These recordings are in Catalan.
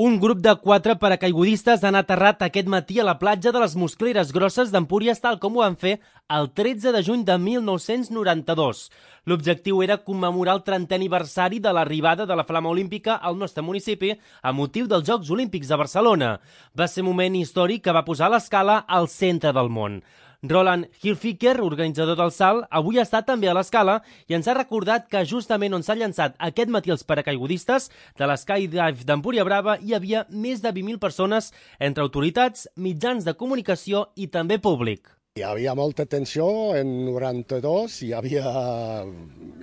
Un grup de 4 paracaigudistes han aterrat aquest matí a la platja de les Muscleres Grosses d'Empúries, tal com ho van fer el 13 de juny de 1992. L'objectiu era commemorar el 30è aniversari de l'arribada de la Flama Olímpica al nostre municipi a motiu dels Jocs Olímpics de Barcelona. Va ser un moment històric que va posar l'Escala al centre del món. Roland Hilfiger, organitzador del salt, avui està també a l'Escala i ens ha recordat que justament on s'han llançat aquest matí els paracaigudistes de l'Skydive d'Empúria Brava hi havia més de 20.000 persones entre autoritats, mitjans de comunicació i també públic. Hi havia molta tensió en 92, hi havia,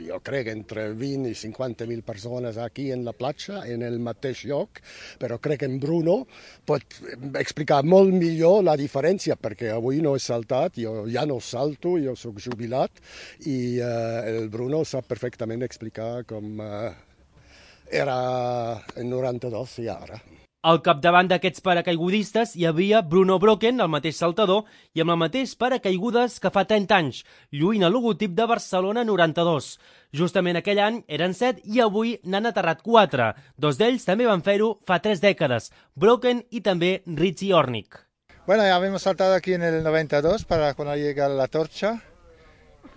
jo crec, entre 20 i 50.000 persones aquí en la platja, en el mateix lloc, però crec que en Bruno pot explicar molt millor la diferència, perquè avui no he saltat, jo ja no salto, jo soc jubilat, i el Bruno sap perfectament explicar com era en 92 i ara. Al capdavant d'aquests paracaigudistes hi havia Bruno Brocken, el mateix saltador, i amb el mateix paracaigudes que fa 30 anys, lluint el logotip de Barcelona 92. Justament aquell any eren 7 i avui n'han aterrat 4. 2 d'ells també van fer-ho fa 3 dècades, Brocken i també Richie Ornick. Bueno, ya habíamos saltado aquí en el 92 para cuando llega la torcha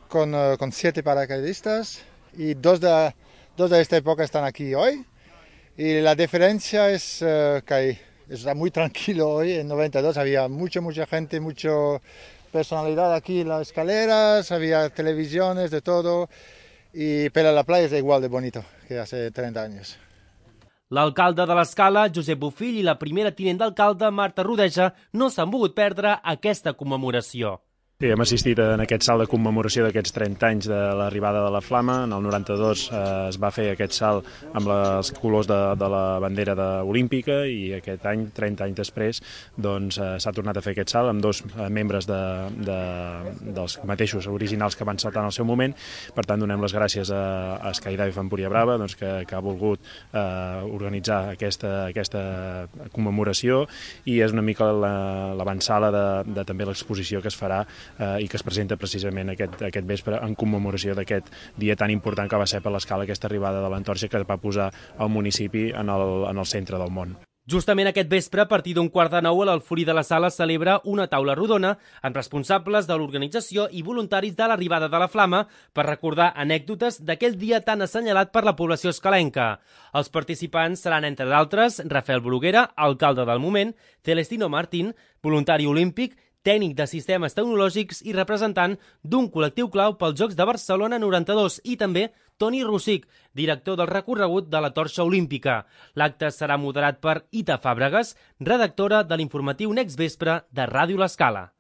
con 7 paracaidistas y dos de esta época están aquí hoy. Y la diferencia es que está muy tranquilo hoy. En 92 había mucha gente, mucha personalidad aquí en las escaleras, había televisiones, de todo. Pero la playa es igual de bonito que hace 30 años. L'alcalde de l'Escala, Josep Bofill, i la primera tinent d'alcalde, Marta Rodeja, no s'han volgut perdre aquesta commemoració. Sí, hem assistit en aquest salt de commemoració d'aquests 30 anys de l'arribada de la Flama. En el 92 es va fer aquest salt amb els colors de la bandera olímpica i aquest any, 30 anys després, doncs, s'ha tornat a fer aquest salt amb 2 membres dels mateixos originals que van saltar en el seu moment. Per tant, donem les gràcies a Skydive Empúria Brava, doncs, que ha volgut organitzar aquesta commemoració i és una mica l'avantsala de també l'exposició que es farà i que es presenta precisament aquest vespre en commemoració d'aquest dia tan important que va ser per l'Escala, aquesta arribada de l'Antorxa que va posar el municipi en el centre del món. Justament aquest vespre, a partir d'un 8:45, a l'Alforí de la Sala celebra una taula rodona amb responsables de l'organització i voluntaris de l'arribada de la Flama per recordar anècdotes d'aquell dia tan assenyalat per la població escalenca. Els participants seran, entre d'altres, Rafael Bruguera, alcalde del moment, Celestino Martín, voluntari olímpic, tècnic de sistemes tecnològics i representant d'un col·lectiu clau pels Jocs de Barcelona 92 i també Toni Rossic, director del recorregut de la Torxa Olímpica. L'acte serà moderat per Ita Fàbregas, redactora de l'informatiu Next Vespre de Ràdio L'Escala.